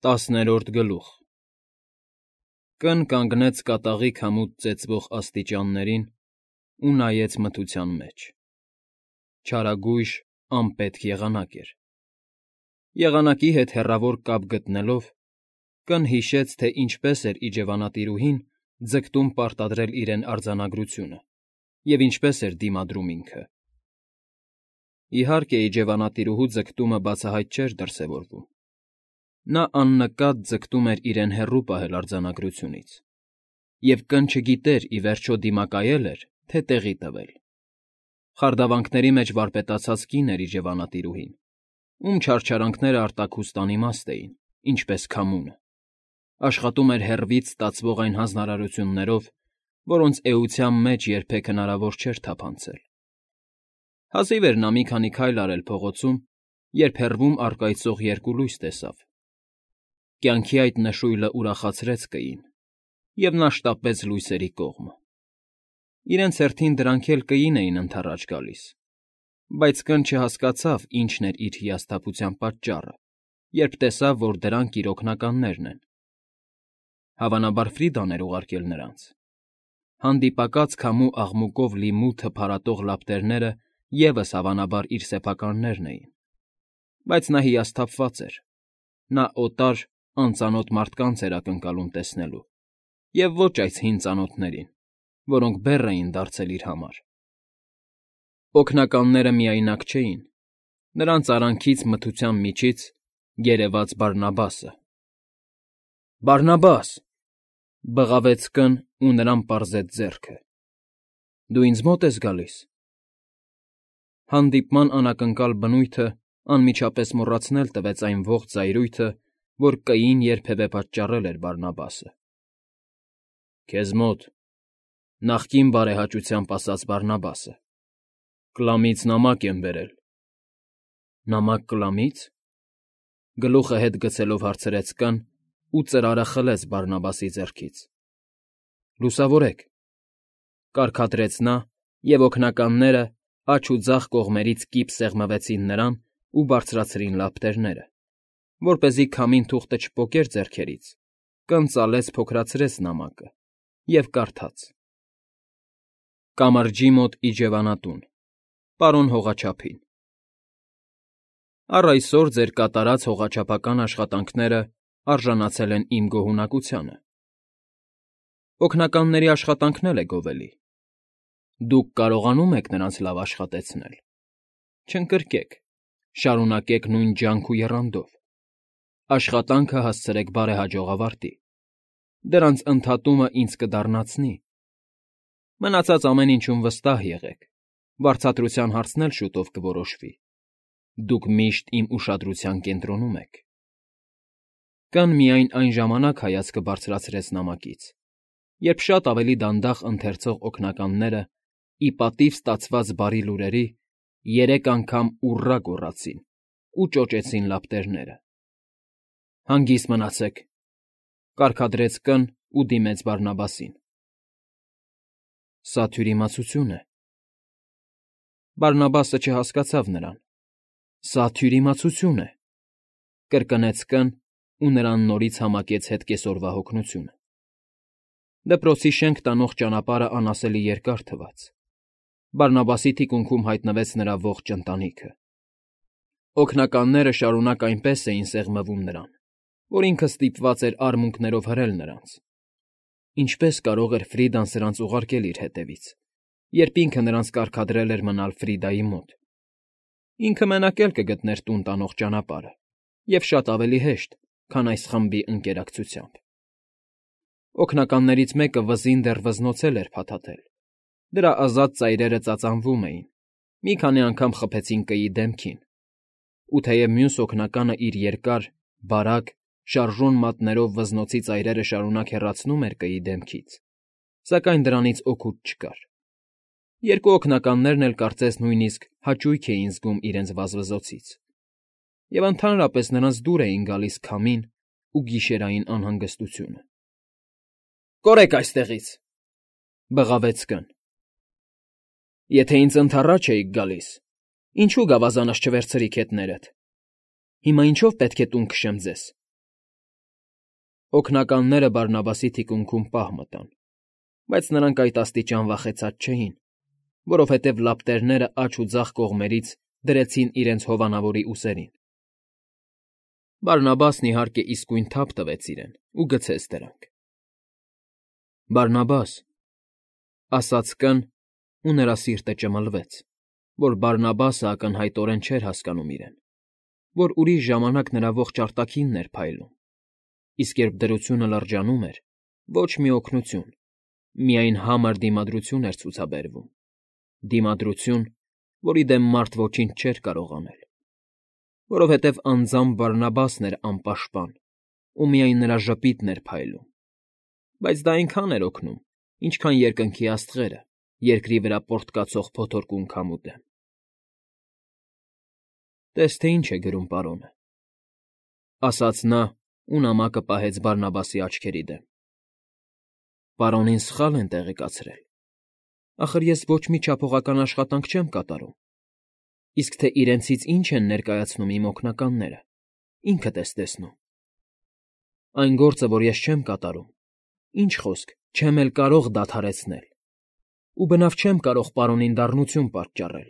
10-րդ գլուխ Կն կանգնեց կատաղի քամուց ծեծվող աստիճաններին ու նայեց մթության մեջ. չարագույժ, անպետք եղանակ էր. եղանակի հետ հեռավոր կապ գտնելով, Կն հիշեց, թե ինչպես էր իջևանատիրուհին ձգտում պարտադրել իրեն արձանագրությունը և ինչպես էր դիմադրում ինքը. իհարկե, իջևանատիրուհու ձգտումը բացահայտ չէր դրսևորվում. նա աննկատ ձգտում էր իրեն հեռու պահել արձանագրությունից, և Կն չգիտեր ի վերջո դիմակայել էր, թե տեղի տվել. խարդավանքների մեջ վարպետացած կին էր իջևանատիրուհին, ում չարչարանքները արտաքուստ անիմաստ էին, ինչպես քամունը, աշխատում էր հեռվից ստացվող այն հանձնարարություններով, որոնց էության մեջ երբեք հնարավոր չէր թափանցել. հազիվ էր նա մի քանի քայլ արել փողոցում, երբ հեռվում առկայծող երկու լույս տեսավ. կյանքի այդ նշույլը ուրախացրեց Կին, և նա շտապեց լույսերի կողմը. իրենց հերթին դրանք էլ Կին էին ընդառաջ գալիս, բայց Կն չհասկացավ ինչն էր իր հիասթափության պատճառը, երբ տեսավ, որ դրանք իր օգնականներն են. հավանաբար Ֆրիդան էր ուղարկել նրանց. հանդիպակաց քամու աղմուկով լի մութը փարատող լապտերները ևս հավանաբար իր սեփականներն էին, բայց նա հիասթափված էր. նա օտար, անծանոթ մարդկանց էր ակնկալում տեսնելու, և ոչ այս հին ծանոթներին, որոնք բեռ էին դարձել իր համար. օգնականները միայնակ չէին. նրանց արանքից մթության միջից երևաց Բարնաբասը. «Բարնաբաս», բղավեց Կն ու նրան պարզեց ձեռքը. «Դու ինձ մոտ ես գալիս»։ Հանդիպման անակնկալ բնույթը անմիջապես մոռացնել տվեց այն ողջ զայրույթը, որ Կային երբևէ պատճառել էր Բարնաբասը. «Քեզ մոտ, նախկին բարեհաճությամբ ասաց Բարնաբասը, Կլամից նամակ եմ բերել»։ «Նամակ Կլամի՞ց»։ Գլուխը հետ գցելով հարցրեց Կն ու ծրարը խլեց Բարնաբասի ձեռքից։ «Լուսավորեք», կարգադրեց նա, և օգնականները աջ ու ձախ կողմերից կիպ սեղմվեցին նրան ու բարձրացրին լապտերները, որպեսզի քամին թուղթը չպոկեր ձեռքերից, Կն ծալեց փոքրացրեց նամակը և կարդաց. «Կամրջի մոտ իջևանատուն, պարոն հողաչափին. առ այսօր ձեր կատարած հողաչափական աշխատանքները արժանացել են իմ գոհունակությանը։ Օգնականների աշխատանքն էլ է գովելի. դուք կարողանում եք նրանց լավ աշխատեցնել, չընկրկեք, շարունակեք նույն ջանք ու եռանդով, աշխատանքը հասցրեք բարեհաջող ավարտի, դրանց ընդհատումը ինձ կդառնացնի։ Մնացած ամեն ինչում վստահ եղեք, վարձատրության հարցն էլ շուտով կորոշվի, դուք միշտ իմ ուշադրության կենտրոնում եք»։ Կն միայն այն ժամանակ հայացքը բարձրացրեց նամակից, երբ շատ ավելի դանդաղ ընթերցող օգնականները, ի պատիվ ստացված բարի լուրերի, 3 անգամ ուռա գոռացին ու ճոճեցին լապտերները։ «Հանգիստ մնացեք», կարգադրեց Կն ու դիմեց Բարնաբասին. «Սա թյուրիմացություն է»։ Բարնաբասը չհասկացավ նրան. «Սա թյուրիմացություն է», կրկնեց Կն ու նրան նորից համակեց հետ կեսօրվա հոգնությունը։ Դպրոցի շենք տանող ճանապարհը անասելի երկար թվաց. Բարնաբասի թիկունքում հայտնվեց նրա ողջ ընտանիքը։ Օգնականները շարունակ այնպես էին սեղմվում նրան, որ ինքը ստիպված էր արմունկներով հրել նրանց. ինչպես կարող էր Ֆրիդան սրանց ուղարկել իր հետևից, երբ ինքը նրանց կարգադրել էր մնալ Ֆրիդայի մոտ։ Ինքը մենակ էլ կգտներ տուն տանող ճանապարհը, և շատ ավելի հեշտ, քան այս խմբի ընկերակցությամբ։ Օգնականներից մեկը վզին դեռ վզնոցել էր փաթաթել, դրա ազատ ծայրերը ծածանվում էին, մի քանի անգամ խփեցին Կիի դեմքին, ու թեև մյուս օգնականը իր երկար, բարակ, շարժուն մատներով վզնոցի ծայրերը շարունակ հեռացնում էր Կիի դեմքից, սակայն դրանից օգուտ չկար։ Երկու օգնականներն էլ կարծես նույնիսկ հաճույք էին զգում իրենց վազվզոցից, և ընդհանրապես նրանց դուր էին գալիս քամին ու գիշերային անհանգստությունը։ «Կորեք այստեղից», բղավեց Կն։ «Եթե ինձ ընդառաջ էիք գալիս, ինչու գավազանս չվերցրիք հետներդ։ Հիմա ինչո՞վ պետք է տուն քշեմ ձեզ»։ Օգնականները Բարնաբասի թիկունքում պահ մտան, բայց նրանք այդ աստիճան վախեցած չէին, որովհետև լապտերները աջ ու ձախ կողմերից դրեցին իրենց հովանավորի ուսերին։ Բարնաբասն, իհարկե, իսկույն թափ տվեց իրեն ու գցեց դրանք։ «Բարնաբաս», ասաց կն, ու նրա սիրտը ճմլվեց, որ Բարնաբասը ակնհայտորեն չէր հասկանում իրեն, որ ուրիշ ժամանակ նրա ողջ արտաքինն էր փայլում, իսկ երբ դրությունը լրջանում էր, ոչ մի օգնություն, միայն համր դիմադրություն էր ցուցաբերվում, դիմադրություն, որի դեմ մարդ ոչինչ չէր կարող անել, որովհետև անձամբ Բարնաբասն էր անպաշտպան, ու միայն նրա ժպիտն էր փայլում, բայց դա այնքան էր օգնում, ինչքան երկնքի աստղերը, երկրի վրա պոռթկացող փոթորկուն քամու դեմ։ «Տես թե ինչ է գրում պարոնը», ասաց նա ու նամակը պահեց Բարնաբասի աչքերի դեմ։ «Պարոնին սխալ են տեղեկացրել։ Ախր ես ոչ մի չափողական աշխատանք չեմ կատարում, իսկ թե իրենցից ինչ են ներկայացնում իմ օգնականները, ինքդ ես տեսնում։ Այն գործը, որ ես չեմ կատարում, ինչ խոսք, չեմ էլ կարող դադարեցնել, ու բնավ չեմ կարող պարոնին դառնություն պատճառել,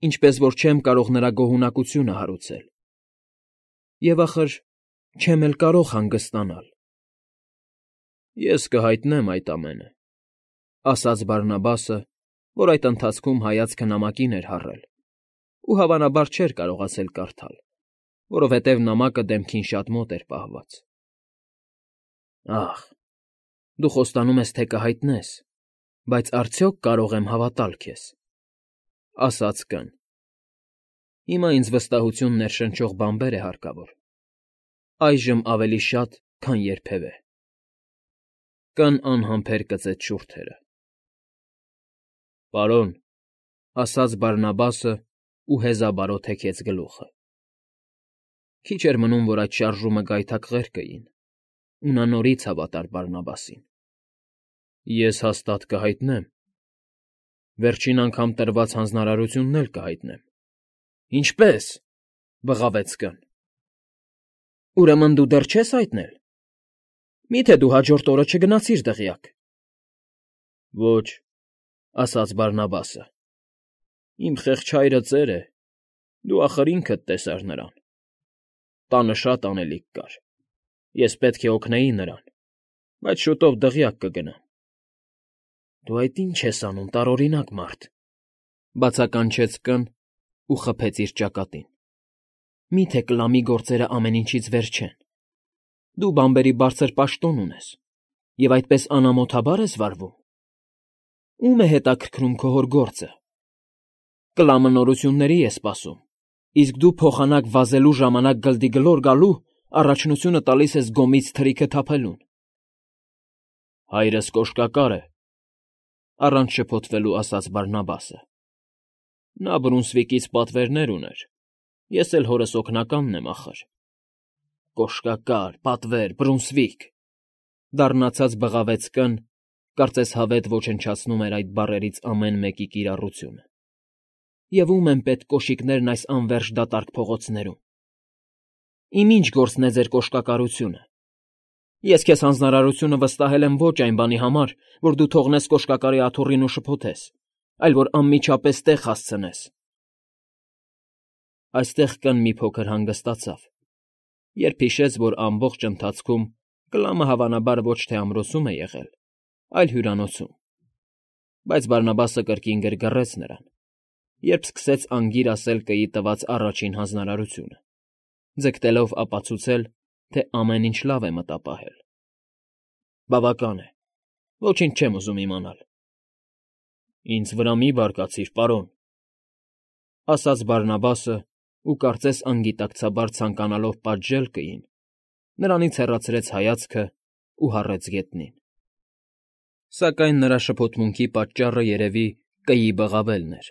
ինչպես որ չեմ կարող նրա գոհունակությունը հարուցել։ Եվ ախր չեմ էլ կարող հանգստանալ»։ «Ես կհայտնեմ այդ ամենը», ասաց Բարնաբասը, որ այդ ընթացքում հայացքը նամակին էր հառել, ու հավանաբար չէր կարողացել կարդալ, որովհետև նամակը դեմքին շատ մոտ էր պահված։ «Ախ, դու խոստանում ես, թե կհայտնես, բայց արդյոք կարող եմ հավատալ քեզ», ասաց կն։ «Հիմա ինձ վստահություն ներշնչող բանբեր է հարկավոր, այժմ ավելի շատ, քան երբևէ»։ Կն անհամբեր կծեց շուրթերը։ «Պարոն», ասաց Բարնաբասը ու հեզաբարոտ հեքեց գլուխը։ Քիչ էր մնում, որ այդ շարժումը գայթակղեր կային, ու նա նորից հավատար Բարնաբասին։ «Ես հաստատ կհայտնեմ, վերջին անգամ տրված հանձնարարությունն էլ կհայտնեմ»։ «Ինչպե՞ս», բղավեց կն։ «Ուրեմն դու դեռ չես հայտնել։ Մի՞թե դու հաջորդ օրը չգնացիր դղյակ»։ «Ոչ», ասաց Բարնաբասը։ «Իմ խեղճ հայրը ծեր է, դու ախր ինքդ տեսար նրան։ Տանը շատ անելիք կար, ես պետք է օգնեի նրան, բայց շուտով դղյակ կգնամ»։ «Դու այդ ի՞նչ ես անում, տարօրինակ մարդ», բացականչեց կն ու խփեց իր ճակատին։ «Մի՞թե կլամի գործերը ամեն ինչից վեր չեն։ Դու բանբերի բարձր պաշտոն ունես և այդպես անամոթաբա՞ր ես վարվում։ Ո՞ւմ է հետաքրքրում քո հոր գործը։ Կլամը նորությունների է սպասում, իսկ դու փոխանակ վազելու ժամանակ գլդի-գլոր գալու առաջնությունը տալիս ես գոմից թրիքը թափելուն»։ «Հայրս կոշկակար է», առանց շփոթվելու ասաց Բարնաբասը։ «Նա Բրունսվիկից պատվերներ ուներ, ես էլ հորս օգնականն եմ ախր»։ «Կոշկակար, պատվեր, Բրունսվիկ», դառնացած բղավեց կն, կարծես հավետ ոչնչացնում էր այդ բառերից ամեն մեկի կիրառությունը։ «Եվ ո՞ւմ են պետք կոշիկներն այս անվերջ դատարկ փողոցներում։ Իմ ի՞նչ գործն է ձեր կոշկակարությունը։ Ես քեզ հանձնարարությունը վստահել եմ ոչ այն բանի համար, որ դու թողնես կոշկակարի աթոռին ու շփոթես, այլ որ անմիջապես տեղ հասցնես»։ Այստեղ կն մի փոքր հանգստացավ, երբ հիշեց, որ ամբողջ ընթացքում Կլամը հավանաբար ոչ թե ամրոցում է եղել, այլ հյուրանոցում, բայց Բարնաբասը կրկին գրգռեց նրան, երբ սկսեց անգիր ասել կգի տված առաջին հանձնարարությունը, ձգտելով ապացուցել, թե ամեն ինչ լավ է մտապահել։ «Բավական է, ոչինչ չեմ ուզում իմանալ»։ «Ինձ վրա մի բարկացիր, պարոն», ասաց Բարնաբասը ու կարծես անգիտակցաբար ցանկանալով պատժել կին, նրանից հեռացրեց հայացքը ու հառեց գետնին։ Սակայն նրա շփոթմունքի պատճառը երևի կգի բղավելն էր։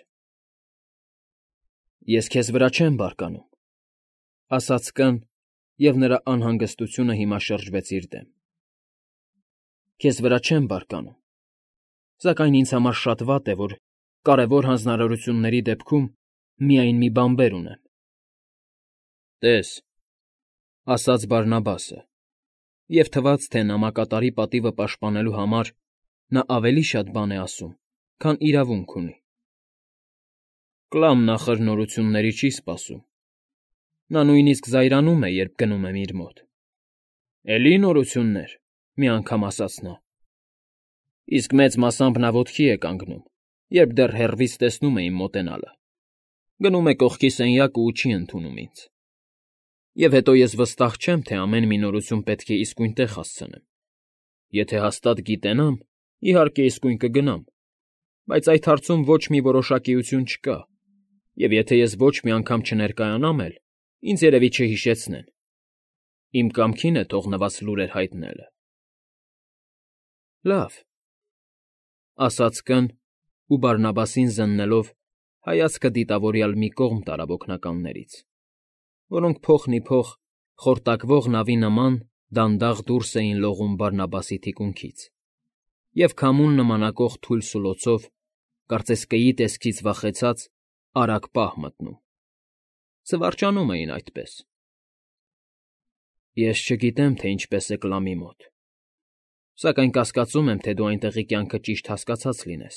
«Ես քեզ վրա չեմ բարկանում», ասաց կն, և նրա անհանգստությունը հիմա շրջվեց իր դեմ։ «Քեզ վրա չեմ բարկանում, սակայն ինձ համար շատ վատ է, որ կարևոր հանձնարարությունների դեպքում միայն մի բանբեր ունեմ»։ «Տես», ասաց Բարնաբասը, Եվ թվաց, թե նամակատարի պատիվը պաշտպանելու համար նա ավելի շատ բան է ասում, քան իրավունք ունի։ Կլամ նախր նորությունների չի սպասում։ Նա նույնիսկ զայրանում է, երբ գնում եմ իր մոտ։ Էլի նորություններ, մի անգամ ասաց նա։ Իսկ մեծ մասամբ նա ոտքի է կանգնում, երբ դեռ հեռվից տեսնում է իմ մոտենալը։ Գնում է կողքի սենյակը ու չի ընդունում ինձ։ Եվ հետո ես վստահ չեմ, թե ամեն մի նորություն պետք է իսկույն տեղ հասցնեմ։ Եթե հաստատ գիտենամ, իհարկե իսկույն կգնամ, բայց այդ հարցում ոչ մի որոշակիություն չկա, և եթե ես ոչ մի անգամ չներկայանամ էլ, ինձ երևի չհիշեցնեն։ Իմ կամքին է թողնված լուրեր հայտնելը։ Լավ, ասաց կն ու Բարնաբասին զննելով հայացքը դիտավորյալ մի կողմ տարավ օգնականներից, որոնք փոխնիփոխ խորտակվող նավի նման դանդաղ դուրս էին լողում Բարնաբասի թիկունքից և քամուն նմանակող թույլ սուլոցով, կարծես կեի տեսքից վախեցած, արագ պահ մտնում։ Զվարճանում էին այդպես։ Ես չգիտեմ, թե ինչպես է Կլամի մոտ, սակայն կասկածում եմ, թե դու այնտեղի կյանքը ճիշտ հասկացած լինես,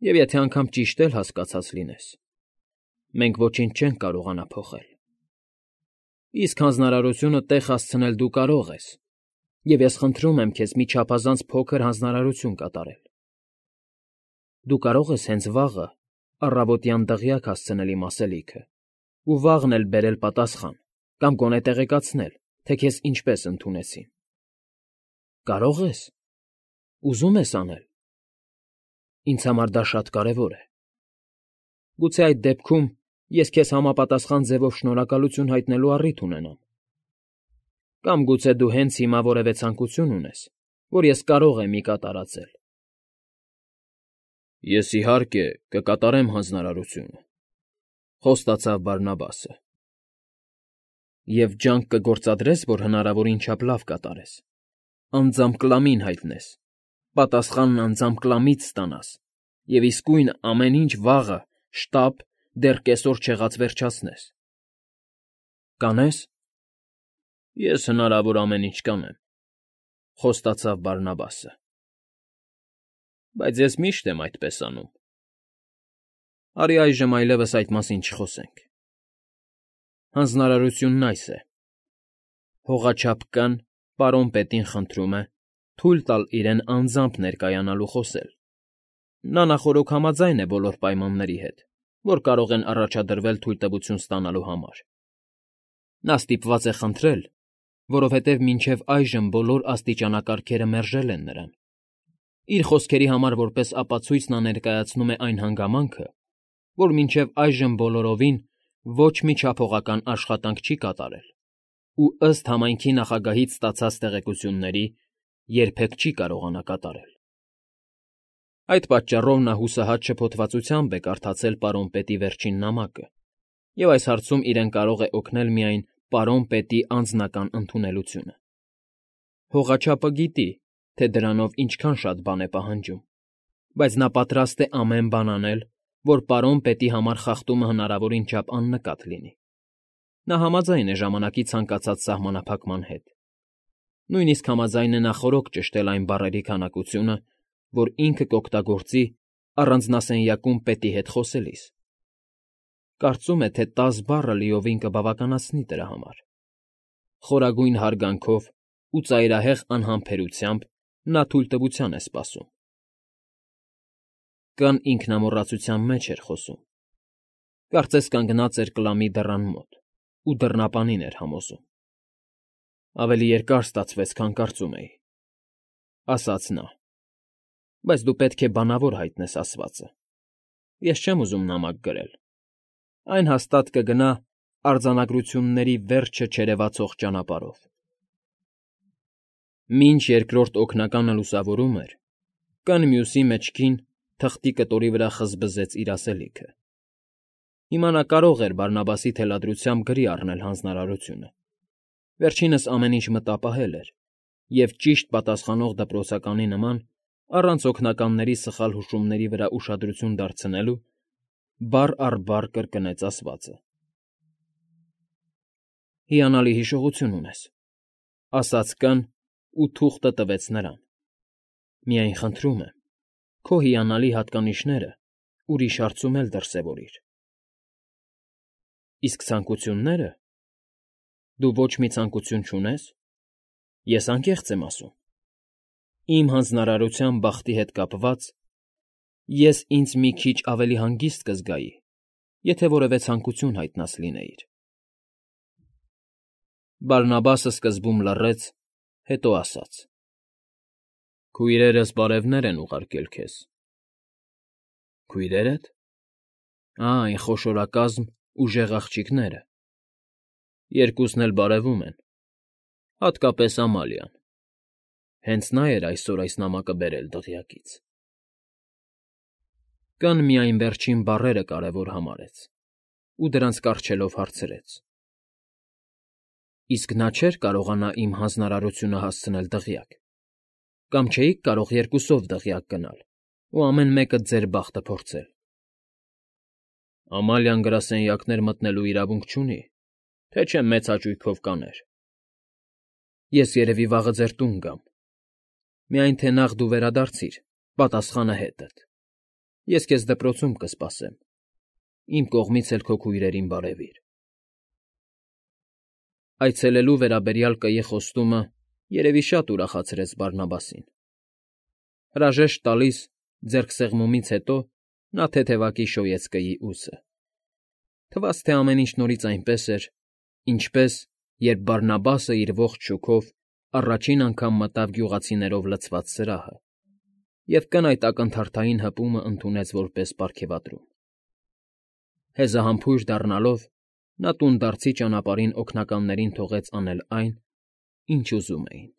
և եթե անգամ ճիշտ էլ հասկացած լինես, մենք ոչինչ չենք կարողանա փոխել։ Իսկ հանձնարարությունը տեղ հասցնել դու կարող ես, և ես խնդրում եմ քեզ մի չափազանց փոքր հանձնարարություն կատարել։ Դու կարող ես հենց վաղը առավոտյան դղյակ հասցնել իմ ասելիքը ու վաղն էլ բերել պատասխան կամ գոնե տեղեկացնել, թե քեզ ինչպես ընդունեցին։ Կարո՞ղ ես։ Ուզում ես անել։ Ինձ համար դա շատ կարևոր է։ Գուցե այդ դեպքում ես քեզ համապատասխան ձևով շնորհակալություն հայտնելու առիթ ունենամ։ Կամ գուցե դու հենց հիմա որևէ ցանկություն ունես, որ ես կարող եմ կատարածել։ Ես, իհարկե, կկատարեմ հանձնարարությունը, խոստացավ Բարնաբասը։ Եվ ջանք կգործադրես, որ հնարավորին չափ լավ կատարես, անձամբ Կլամին հայտնես, պատասխանն անձամբ Կլամից ստանաս և իսկույն ամեն ինչ վաղը, շտապ, դեռ կեսօր չեղած վերջացնես։ Կանե՞ս։ Ես հնարավոր ամեն ինչ կանեմ, խոստացավ Բարնաբասը։ Բայց ես միշտ եմ այդպես անում։ Արի այժմ այլևս այդ մասին չխոսենք։ Հանձնարարությունն այս է. հողաչափ կն պարոն պետին խնդրում է թույլ տալ իրեն անձամբ ներկայանալ ու խոսել։ Նա նախօրոք համաձայն է բոլոր պայմանների հետ, որ կարող են առաջադրվել թույլտվություն ստանալու համար։ Նա ստիպված է խնդրել, որովհետև մինչև այժմ բոլոր աստիճանակարգերը մերժել են նրան։ Իր խոսքերի համար որպես ապացույց նա ներկայացնում է այն հանգամանքը, որ մինչև այժմ բոլորովին ոչ մի չափողական աշխատանք չի կատարել ու ըստ համայնքի նախագահից ստացած տեղեկությունների երբեք չի կարողանա կատարել։ Այդ պատճառով նա հուսահատ շփոթվածությամբ է կարդացել պարոն պետի վերջին նամակը, և այս հարցում իրեն կարող է օգնել միայն պարոն պետի անձնական ընդունելությունը։ Հողաչափը գիտի, թե դրանով ինչքան շատ բան է պահանջում, բայց նա պատրաստ է ամեն բան անել, որ պարոն պետի համար խախտումը հնարավորին չափ աննկատ լինի։ Նա համաձայն է ժամանակի ցանկացած սահմանափակման հետ։ Նույնիսկ համաձայն է նախօրոք ճշտել այն բառերի քանակությունը, որ ինքը կօգտագործի առանձնասենյակում պետի հետ խոսելիս։ Կարծում է, թե 10 բառը լիովին կբավականացնի դրա համար։ Խորագույն հարգանքով ու ծայրահեղ անհամբերությամբ նա թույլտվության է սպասում։ Կն ինքնամոռացության մեջ էր խոսում։ Կարծես կանգնած էր Կլամի դռան մոտ ու դռնապանին էր համոզում։ Ավելի երկար ստացվեց, քան կարծում էի, ասաց նա, բայց դու պետք է բանավոր հայտնես ասվածը։ Ես չեմ ուզում նամակ գրել։ Այն հաստատ կգնա արձանագրությունների վերջը չերևացող ճանապարհով։ Մինչ երկրորդ օգնականը լուսավորում էր, կն մյուսի մեջքին թղթի կտորի վրա խզբզեց իր ասելիքը։ Հիմա նա կարող էր Բարնաբասի թելադրությամբ գրի առնել հանձնարարությունը։ Վերջինս ամեն ինչ մտապահել էր, և ճիշտ պատասխանող դպրոցականի նման, առանց օգնականների սխալ հուշումների վրա ուշադրություն դարձնելու, բառ առ բառ կրկնեց ասվածը։ Հիանալի հիշողություն ունես։ ասաց կն ու թուղթը տվեց նրան։ Միայն խնդրում եմ, քո հիանալի հատկանիշները ուրիշ հարցում էլ դրսևորիր։ Իսկ ցանկությունները… Դու ոչ մի ցանկություն չունե՞ս։ Ես անկեղծ եմ ասում։ Իմ հանձնարարության բախտի հետ կապված ես ինձ մի քիչ ավելի հանգիստ կզգայի, եթե որևէ ցանկություն հայտնած լինեիր։ Բարնաբասը սկզբում լռեց, հետո ասաց. Քույրերս բարևներ են ուղարկել քեզ։ Քույրե՞րդ… Այն խոշորակազմ, ուժեղ աղջիկները… Երկուսն էլ բարևում են, հատկապես Ամալիան, հենց նա էր այսօր այս նամակը բերել դղյակից… Կն միայն վերջին բառերը կարևոր համարեց ու դրանց կառչելով հարցրեց. Իսկ նա չէր կարողանա իմ հանձնարարությունը հասցնել դղյակ, կամ չէիք կարող երկուսով դղյակ գնալ ու ամեն մեկը ձեր բախտը փորձել։ Ամալիան գրասենյակներ մտնելու իրավունք չունի, թե չէ մեծ հաճույքով կաներ։ Ես երևի վաղը ձեր տուն գամ, միայն թե նախ դու վերադարձիր, պատասխանը հետդ։ Ես քեզ դպրոցում կսպասեմ, իմ կողմից էլ քո քույրերին բարևիր։ Այցելելու վերաբերյալ կգի խոստումը երևի շատ ուրախացրեց Բարնաբասին։ Հրաժեշտ տալիս ձեռքսեղմումից հետո նա թեթևակի շոյեց կգի ուսը։ Թվաց, թե ամեն ինչ նորից այնպես էր, ինչպես, երբ Բարնաբասը իր ողջ շոգով առաջին անգամ մտավ գյուղացիներով լցված սրահը, և կն այդ ակնթարթային հպումը ընդունեց որպես պարգևատրում։ Հեզահամբույր դառնալով՝ նա տունդարձի ճանապարհին օգնականներին թողեց անել այն, ինչ ուզում էին։